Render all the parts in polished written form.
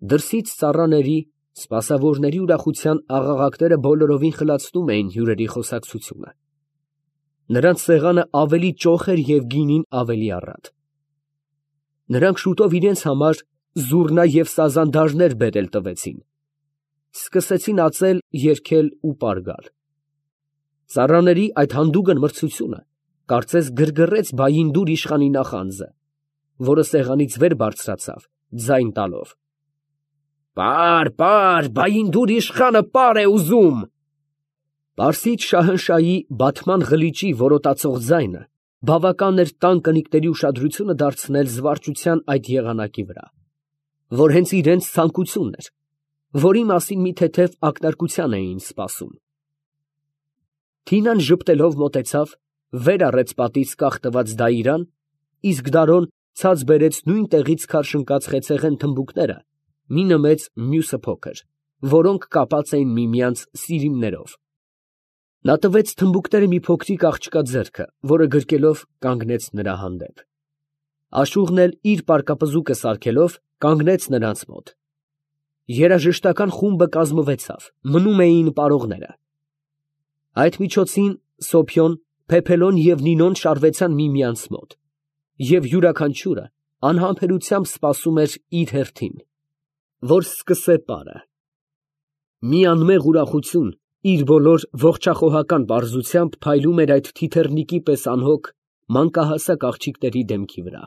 Դրսից ծառաների, սպասավորների ուրախության աղաղակները բոլորովին խլացնում էին հյուրերի խոսակցությունը. նրանց սեղանը ավելի ճոխ էր և գինին ավելի առատ։ Նրանք շուտով իրենց համար զուռնա և սազանդարներ բերել տվեցին, սկսեցին ածել, երգել ու պար գալ։ Ծառաների այդ հանդուգն մրցությունը կարծես գրգռեց Բայինդուր իշխանի նախանձը, որը սեղանից վեր բարձրացավ, ձայն տալով. «Պար, պար, Բայինդուր իշխանը պար է ուզում»։ Պարսից շահնշահի բաթման ղլիճի որոտացող ձայնը բավական էր տան կնիկների ուշադրությունը դարձնել զվարճության այդ եղանակի վրա, որ հենց իրանց ցանկությունն էր, որի մասին մի թեթև ակնարկության էին սպասում։ Թինան ժպտելով մոտեցավ, վեր առեց պատից կախ տված դայիրան, իսկ Դարոն ցած բերեց նույն տեղից քարշ ընկած խեցեղեն թմբուկները, մինը մեծ, մյուսը փոքր, որոնք կապած էին միմյանց սիրիմներով։ Նա տվեց թմբուկները մի փոքրիկ աղջկա ձեռքը, որը գրկելով կանգնեց նրա հանդեպ։ Աշուղն էլ իր պարկապզուկը սարքելով կանգնեց նրանց մոտ։ Երաժշտական խումբը կազմվեցավ, մնում էին պարողները։ Այդ միջոցին Սոփյոն, Փեփելոն և Նինոն շարվեցան միմյանց մոտ, և յուրաքանչյուրը անհամբերությամբ սպասում էր իր հերթին, որ սկսե պարը։ Մի անմեղ ուրախություն իր բոլոր ողջախոհական պարզությամբ փայլում էր այդ թիթեռնիկի պես անհոգ, մանկահասակ աղջիկների դեմքի վրա։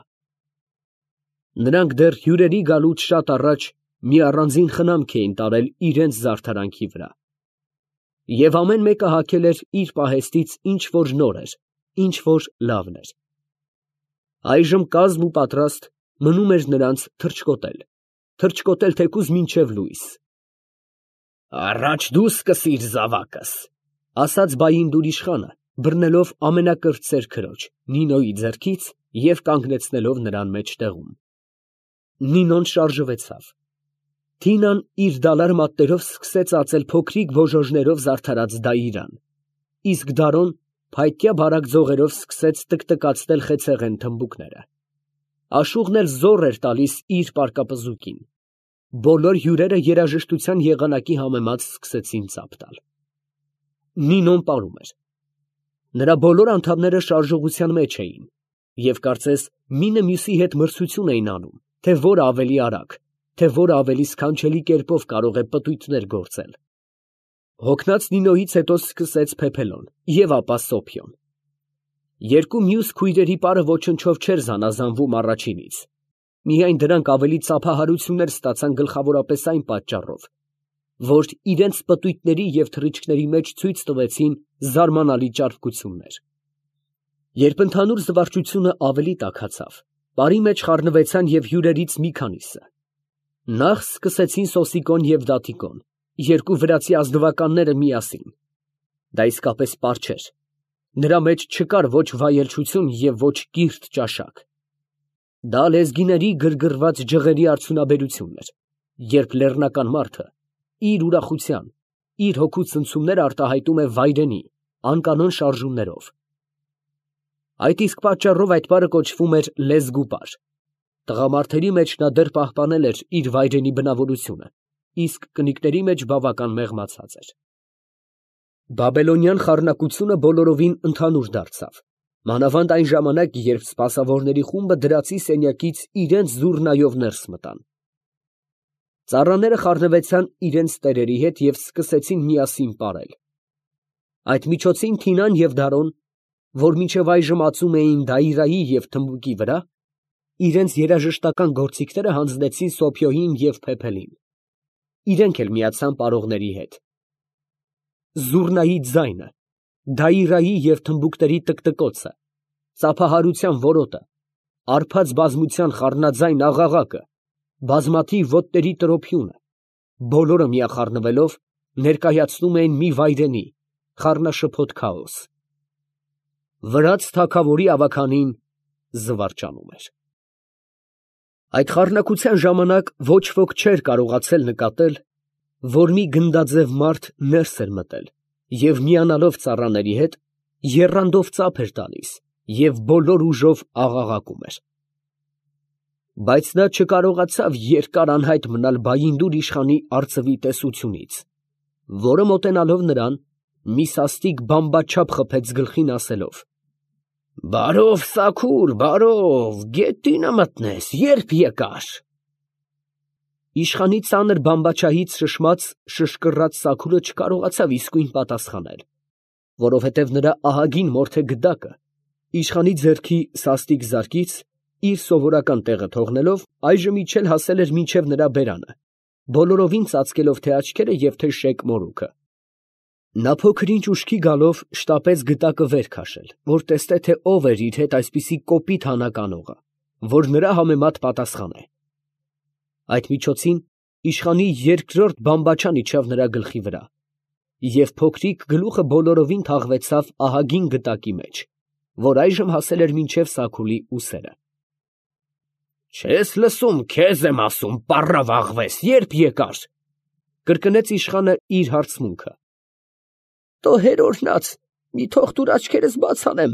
Նրանք դեռ հյուրերի գալուց շատ առաջ մի առանձին խնամք էին տարել իրենց զարդարանքի վրա, և ամեն մեկը հագել էր իր պահեստից ինչ որ նոր էր, ինչ որ լավն էր։ Այժմ կազմ ու պատրաստ մնում էր նրանց թռչկոտել թեկուզ մինչև լույս։ «Առաջ դու սկսիր զավակս», ֊ ասաց Բայինդուր իշխանը, բռնելով ամենակրտսեր քրոջ՝ Նինոյի ձեռքից և կանգնեցնելով նրան մեջտեղում։ Նինոն շարժվեցավ։ Թինան իր դալար մատներով սկսեց ածել փոքրիկ բոժոժներով զարդարած դայիրան, իսկ Դարոն փայտյա բարակ ձողերով սկսեց տկտկացնել խեցեղեն թմբուկները։ Աշուղն էլ զոռ էր տալիս իր պարկապզուկին։ Բոլոր հյուրերը երաժշտության եղանակի համեմատ սկսեցին ծափ տալ։ Նինոն պարում էր։ Նրա բոլոր անդամները շարժողության մեջ էին և կարծես մինը մյուսի հետ մրցություն էին անում, թե որը ավելի արագ, թե որը ավելի սքանչելի կերպով կարող է պտույտներ գործել։ Հոգնած Նինոյից հետո սկսեց Փեփելոն և ապա Սոփյոն։ Երկու մյուս քույրերի պարը ոչնչով չէր զանազանվում առաջինից, միայն դրանք ավելի ծափահարություններ ստացան գլխավորապես այն պատճառով, որ իրենց պտույտների և թռիչքների մեջ ցույց տվեցին զարմանալի ճարպկություններ։ Երբ ընդհանուր զվարճությունը ավելի տաքացավ, պարի մեջ խառնվեցան և հյուրերից մի քանիսը։ Նախ սկսեցին Սոսիկոն և Դատիկոն, երկու վրացի ազնվականները միասին։ Դա իսկապես պար չէր։ Նրա մեջ չկար ոչ վայելչություն և ոչ կիրթ ճաշակ։ Դա լեզգիների գրգռված ջղերի արդյունաբերությունն էր, երբ լեռնական մարդը իր ուրախության, իր հոգու ցնցումները արտահայտում է վայրենի, անկանոն շարժումներով։ Այդ իսկ պատճառով այդ պարը կոչվում էր լեզգու պար։ Տղամարդերի մեջ նա դեռ պահպանել էր իր վայրենի բնավորությունը, իսկ կնիկների մեջ բավական մեղմացած էր։ Բաբելոնյան խառնակությունը բոլորովին ընդհանուր դարձավ, մանավանդ այն ժամանակ, երբ սպասավորների խումբը դրացի սենյակից իրենց զուռնայով ներս մտան։ Ծառաները խառնվեցան իրենց տերերի հետ և սկսեցին միասին պարել։ Այդ միջոցին Թինան և Դարոն, որ մինչև այժմ ածում էին դայիրայի և թմբուկի վրա, իրենց երաժշտական գործիքները հանձնեցին Սոփյոյին և Փեփելին։ Իրենք էլ միացան պարողների հետ։ Զուռնայի ձայնը, դայիրայի և թմբուկների տկտկոցը, ծափահարության որոտը, արբած բազմության խառնաձայն աղաղակը, բազմաթիվ ոտների տրոփյունը, բոլորը միախառնվելով ներկայացնում էին մի վայրենի, խառնաշփոթ քաոս։ Վրաց թագավորի ավագանին զվարճանում էր։ Այդ խառնակության ժամանակ ոչ ոք չէր կարողացել նկատել, որ մի գնդաձև մարդ ներս էր մտել և միանալով ծառաների հետ, եռանդով ծափ էր տալիս և բոլոր ուժով աղաղակում էր։ Բայց նա չկարողացավ երկար անհայտ մնալ Բայինդուր իշխանի արծվի տեսությունից, որը մոտենալով նրան, մի սաստիկ բամբաչափ խփեց գլխին, ասելով. «Բարով, Սաքուր, բարով, գետինը մտնես, ե՞րբ եկար»։ Իշխանի ծանր բամբաչահից շշմած, շշկռաց Սաքուրը չկարողացավ իսկույն պատասխանել, որովհետև նրա ահագին մորթե գդակը իշխանի ձեռքի սաստիկ զարկից, իր սովորական տեղը թողնելով, այժմ իջել հասել էր մինչև նրա բերանը, բոլորովին ծածկելով թե աչքերը և թե շեկ մորուքը։ Նա փոքր-ինչ ուշքի գալով շտապեց գդակը վեր քաշել, որ տեսնե, թե ով էր իր հետ այսպիսի կոպիտ հանակ անողը, որ նրա համեմատ պատասխանե։ Այդ միջոցին իշխանի երկրորդ բամբաչան իջավ նրա գլխի վրա, և փոքրիկ գլուխը բոլորովին թաղվեցավ ահագին գդակի մեջ, որ այժմ հասել էր մինչև Սաքուլի ուսերը։ «Չես լսում, քեզ եմ ասում, պառավ աղվես, ե՞րբ եկար», կրկնեց իշխանը իր հարցմունքը։ «Տո հեր օրհնած, մի թող տուր աչքերս բաց անեմ,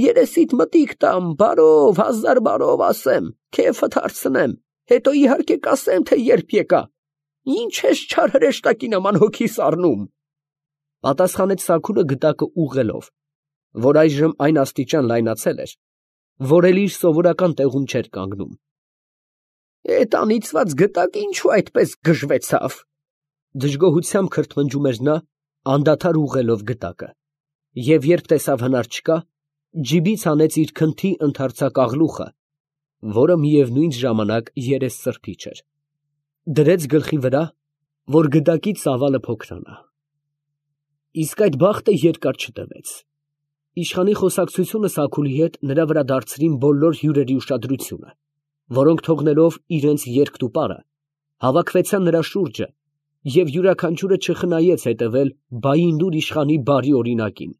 երեսիդ մտիկ տամ, բարով, հազար բարով ասեմ, քեֆդ հարցնեմ, հետո իհարկե կասեմ, թե ե՞րբ եկա, ինչ ես չար հրեշտակի նման հոգիս առնում», պատասխանեց Սաքուրը գդակը ուղղելով, որ այժմ այն աստիճան լայնացել էր, որ էլ իր սովորական տեղում չէր կանգնում։ «Էդ անիծված գդակը ինչու այդպես գժվեցավ», դժգոհությամբ քրթմնջում էր նա, անդադար ուղղելով գդակը, և երբ տեսավ հնար չկա, ջիբից հանեց իր քնթի ընդարձակ աղլուխը, որը միևնույն ժամանակ երես սրբիչ էր, դրեց գլխի վրա, որ գդակի ծավալը փոքրանա։ Իսկ այդ բախտը երկար չտևեց։ Իշխանի խոսակցությունը Սաքուլի հետ նրա վրա դարձրին բոլոր հյուրերի ուշադրությունը, որոնք թողնելով իրենց երկն ու պարը, հավաքվեցան նրա շուրջը, և յուրաքանչյուրը չխնայեց հետևել Բայինդուր իշխանի բարի օրինակին,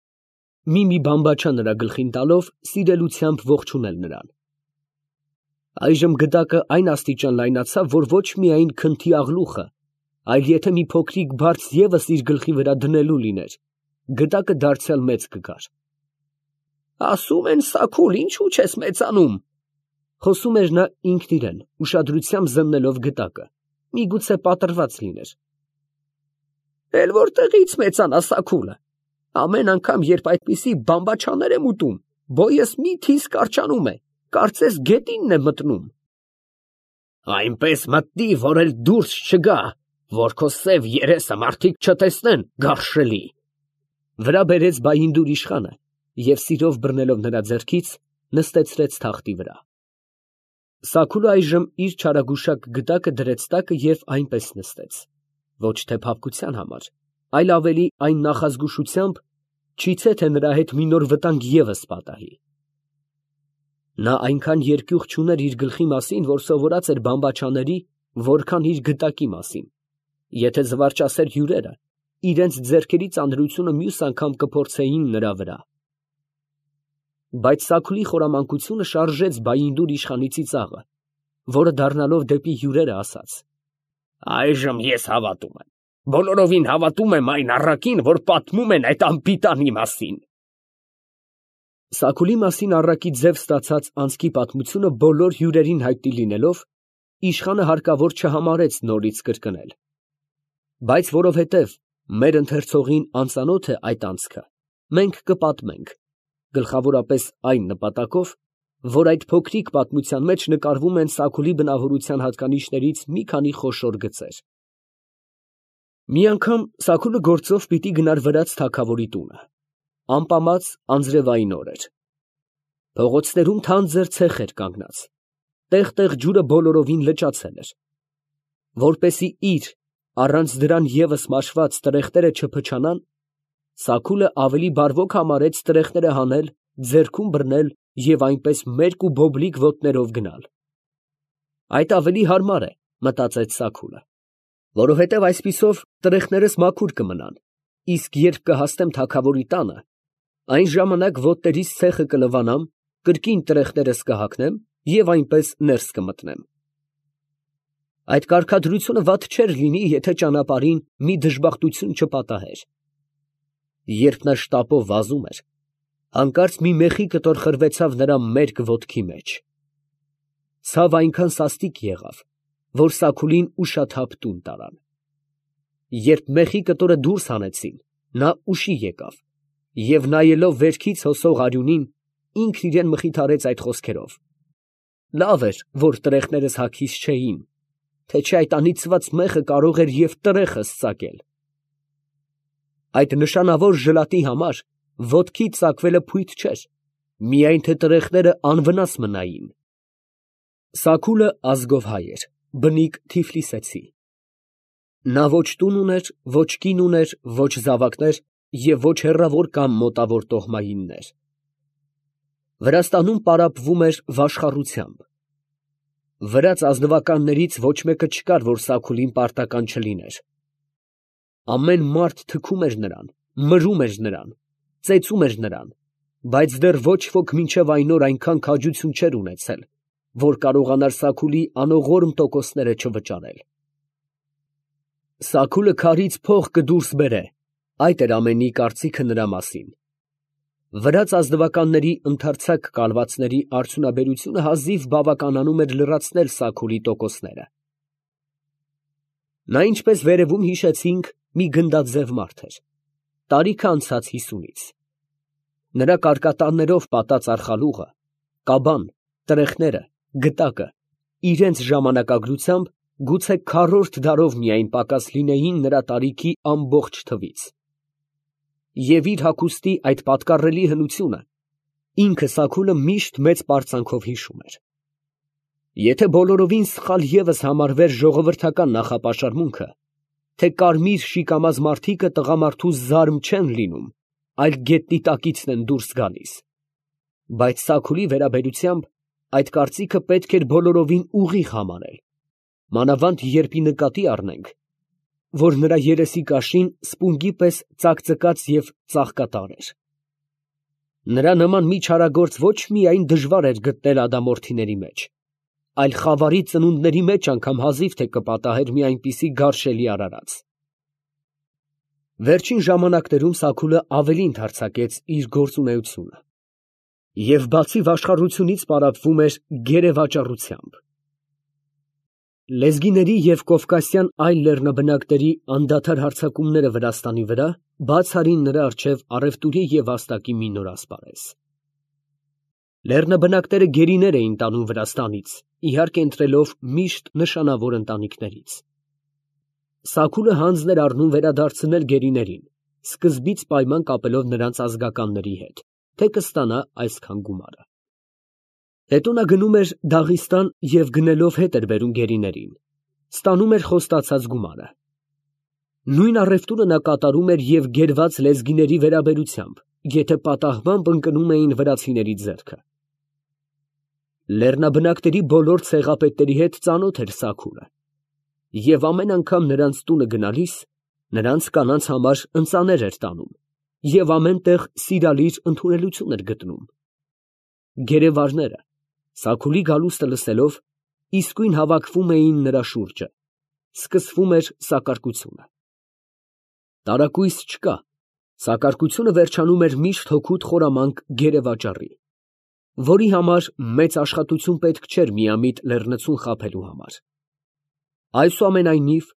մի բամբաչա նրա գլխին տալով, սիրելությամբ ողջունել նրան։ Այժմ գդակը այն աստիճան լայնացավ, որ ոչ միայն քնթի աղլուխը, այլ եթե մի փոքրիկ բարձ ևս իր գլխի վրա դնելու լիներ, գդակը դարձյալ մեծ կգար։ «Ասում են, Սաքուլ, ինչու չես մեծանում», խոսում էր նա ինքն իրեն, ուշադրությամբ զննելով գդակը, միգուցե պատռված լիներ։ «Էլ որտեղից մեծանա, Սաքուլը, ամեն անգամ, երբ այդպիսի բամբաչաներ եմ ուտում, բոյս միթիս կարճանում է, կարծես գետինն է մտնում»։ «Այնպես մտնի, որ էլ դուրս չգա, որ քո սև երեսը մարդիկ չտեսնեն, գարշելի», վրա բերեց Բայինդուր իշխանը և սիրով բռնելով նրա ձեռքից, նստեցրեց թախտի վրա։ Սաքուրը այժմ իր չարագուշակ գդակը դրեց տակը և այնպես նստեց, ոչ թե փափկության համար, այլ ավելի այն նախազգուշությամբ, չիցե թե նրա հետ մի նոր վտանգ ևս պատահի։ Նա այնքան երկյուղ չուներ իր գլխի մասին, որ սովորած էր բամբաչաների, որքան իր գդակի մասին, եթե զվարճասեր հյուրերը իրենց ձեռքերի ծանրությունը մյուս անգամ կփորձեին նրա վրա։ Բայց Սաքուլի խորամանկությունը շարժեց Բայինդուր իշխանի ծիծաղը, որը դառնալով դեպի հյուրերը ասաց. «Այժմ ես հավատում եմ, բոլորովին հավատում եմ այն առակին, որ պատմում են այդ անպիտանի մասին»։ Սաքուլի մասին առակի ձև ստացած անցքի պատմությունը բոլոր հյուրերին հայտնի լինելով, իշխանը հարկավոր չհամարեց նորից կրկնել։ Բայց որովհետև մեր ընթերցողին անծանոթ է այդ անցքը, մենք կպատմենք, գլխավորապես այն նպատակով, որ այդ փոքրիկ պատմության մեջ նկարվում են Սաքուլի բնավորության հատկանիշներից մի քանի խոշոր գծեր։ Մի անգամ Սաքուլը գործով պիտի գնար վրաց թագավորի տունը։ Ամպամած անձրևային օր էր։ Փողոցներում թանձր ցեխ էր կանգնած, տեղ֊տեղ ջուրը բոլորովին լճացել էր։ Որպեսզի իր առանց դրան ևս մաշված տրեխները չփչանան, Սաքուլը ավելի բարվոք համարեց տրեխները հանել, ձեռքում բռնել և այնպես մերկ ու բոբլիկ ոտներով գնալ։ Այդ ավելի հարմար է, մտածեց Սաքուլը, որովհետև այսպիսով տրեխներս մաքուր կմնան, իսկ երբ կհասնեմ թագավորի տանը, այն ժամանակ ոտներիս ցեխը կլվանամ, կրկին տրեխներս կհագնեմ և այնպես ներս կմտնեմ։ Այդ կարգադրությունը վատ չէր լինի, եթե ճանապարհին մի դժբախտություն չպատահեր։ Երբ նա շտապով վազում էր, հանկարծ մի մեխի կտոր խրվեցավ նրա մերկ ոտքի մեջ։ ցավ այնքան սաստիկ եղավ, որ Սաքուլին ուշաթափ տուն տարան։ Երբ մեխի կտորը դուրս հանեցին, նա ուշի եկավ և նայելով վերքից հոսող արյունին, ինքն իրան մխիթարեց այդ խոսքերով. «Լավ էր, որ տրեխներս հագիս չէին, թե չէ այդ անիծված մեղը կարող էր և տրեխս ծակել»։ Այդ նշանավոր ժլատի համար ոտքից ծակվելը փույթ չէր, միայն թե տրեխները անվնաս մնային։ Սաքուլը ազգով հայ էր, բնիկ Թիֆլիսեցի։ Նա ոչ տուն ուներ, ոչ կին ուներ, ոչ զավակներ և ոչ հեռավոր կամ մոտավոր տոհմայիններ։ Վրաստանում պարապվում էր վաշխառությամբ։ Վրաց ազնվականներից ոչ մեկը չկար, որ Սաքուլին պարտական չլիներ։ Ամեն մարդ թքում էր նրան, մրում էր նրան, ծեծում էր նրան, բայց դեռ ոչ ոք մինչև այն օր այնքան քաջություն չէր ունեցել, որ կարողանար Սաքուլի անողորմ տոկոսները չվճարել։ Սաքուլը քարից փող կդուրս բերե, այդ էր ամենի կարծիքը նրա մասին։ Վրաց ազնվականների ընդարձակ կալվածների արդյունաբերությունը հազիվ բավականանում էր լրացնել Սաքուլի տոկոսները։ Նա, ինչպես վերևում հիշեցինք, մի գնդաձև մարդ էր, տարիքը անցած 50-ից։ Նրա կարկատաններով պատած արխալուղը, կաբան, տրեխները, գտակը իրենց ժամանակագրությամբ գուցե քառորդ դարով միայն պակաս լինեին նրա տարիքի ամբողջ թվից։ Եվ իր հագուստի այդ պատկառելի հնությունը ինքը Սաքուլը միշտ մեծ պարծանքով հիշում էր։ Եթե բոլորովին սխալ ևս համարվեր ժողովրդական նախապաշարմունքը, թե կարմիր շիկամազ մարդիկը տղամարդու զարմ չեն լինում, այլ գետնի տակիցն են դուրս գալիս, բայց Սաքուլի վերաբերությամբ այդ կարծիքը պետք էր բոլորովին ուղիղ համարել, մանավանդ երբ ի նկատի առնենք, որ նրա երեսի կաշին սպունգի պես ծակծկած և ծաղկատար էր։ Նրա նման մի չարագործ ոչ միայն դժվար էր գտնել ադամորդիների մեջ, այլ խավարի ծնունդների մեջ անգամ հազիվ թե կպատահեր մի այնպիսի գարշելի արարած։ Վերջին ժամանակներում Սաքուլը ավելի ընդարձակեց իր գործունեությունը և բացի վաշխառությունից պարապվում էր գերեվաճառությամբ։ Լեզգիների և կովկասյան այլ լեռնաբնակների անդադար հարձակումները Վրաստանի վրա բաց արին նրա առջև առևտուրի և վաստակի մի նոր ասպարեզ։ Լեռնաբնակները գերիներ էին տանում Վրաստանից, իհարկե ընտրելով միշտ նշանավոր ընտանիքներից։ Սաքուլը հանձն էր առնում վերադարձնել գերիներին, սկզբից պայման կապելով նրանց ազգականների հետ, թե կստանա այսքան գումարը։ Հետո նա գնում էր Դաղիստան և գնելով հետ էր բերում գերիներին, ստանում էր խոստացած գումարը։ Նույն առևտուրը նա կատարում էր և գերված լեզգիների վերաբերությամբ, եթե պատահմամբ ընկնում էին վրացիների ձեռքը։ Լեռնաբնակների բոլոր ցեղապետերի հետ ծանոթ էր Սաքուլը և ամեն անգամ նրանց տունը գնալիս նրանց կանանց համար ընծաներ էր տանում և ամեն տեղ սիրալիր ընդունելություն էր գտնում։ Գերեվարները, Սաքուլի գալուստը լսելով, իսկույն հավաքվում էին նրա շուրջը, սկսվում էր սակարկությունը։ Տարակույս չկա, սակարկությունը վերջանում էր միշտ հօգուտ խորամանկ գերեվաճառի, որի համար մեծ աշխատություն պետք չէր միամիտ լեռնցուն խաբելու համար։ Այսուամենայնիվ,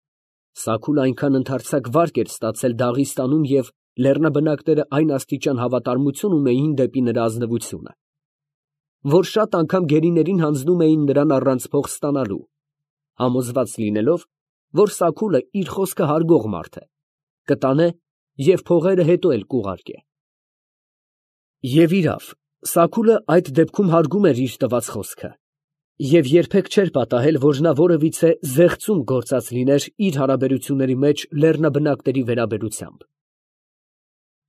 Սաքուլը այնքան ընդարձակ վարկ էր ստացել Դաղիստանում և լեռնաբնակները այն աստիճան հավատարմություն ունեին դեպի նրա ազնվությունը, որ շատ անգամ գերիներին հանձնում էին նրան առանց փող ստանալու, համոզված լինելով, որ Սաքուլը իր խոսքը հարգող մարդ է, կտանե և փողերը հետո էլ կուղարկե։ Եվ իրավ, Սաքուլը այդ դեպքում հարգում էր իր տված խոսքը և երբեք չէր պատահել, որ նա որևիցե զեղծում գործած լիներ իր հարաբերությունների մեջ լեռնաբնակների վերաբերությամբ։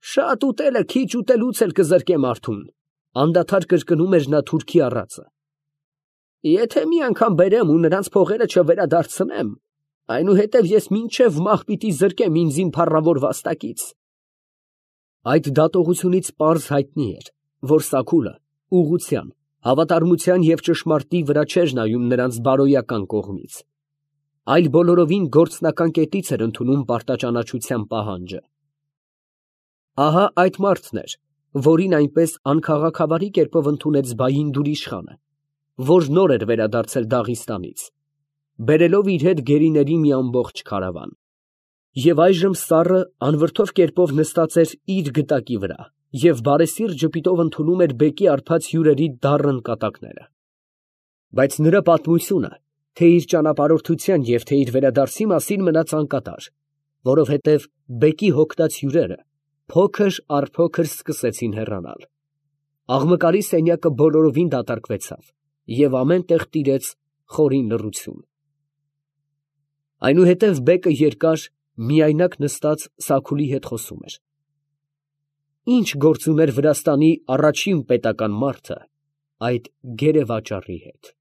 «Շատ ուտելը քիչ ուտելուց էլ կզրկե մարդուն», անդադար կրկնում էր նա թուրքի առածը։ «Եթե մի անգամ բերեմ ու նրանց փողերը չվերադարձնեմ, այնուհետև ես մինչև մահ պիտի զրկեմ ինձ իմ փառավոր վաստակից»։ Այդ դատողությունից պարզ հայտնի էր, որ Սաքուլը ուղղության, հավատարմության և ճշմարտի վրա չէր նայում նրանց բարոյական կողմից, այլ բոլորովին գործնական կետից էր ընդունում պարտաճանաչության պահանջը։ Ահա այդ մարդն էր, որին այնպես անքաղաքավարի կերպով ընդունեց Բայինդուր իշխանը, որ նոր էր վերադարձել Դաղիստանից, բերելով իր հետ գերիների մի ամբողջ քարավան։ Եվ այժմ սառը անվրդով կերպով նստած էր իր գտակի վրա և բարեսիրտ ժպիտով ընդունում էր բեկի հարբած հյուրերի դառն կատակները։ Բայց նրա պատմությունը թե իր ճանապարհորդության և թե իր վերադարձի մասին մնաց անկատար, որովհետև բեկի հոգնած հյուրերը փոքր առ փոքր սկսեցին հեռանալ։ Աղմկարի սենյակը բոլորովին դատարկվեցավ, և ամեն տեղ տիրեց խորին լռություն։ Այնուհետև բեկը երկար, միայնակ նստած Սաքունի հետ խոսում էր. «Ի՞նչ գործ ուներ Վրաստանի առաջին պետական մարդը այդ գերեվաճառի հետ»։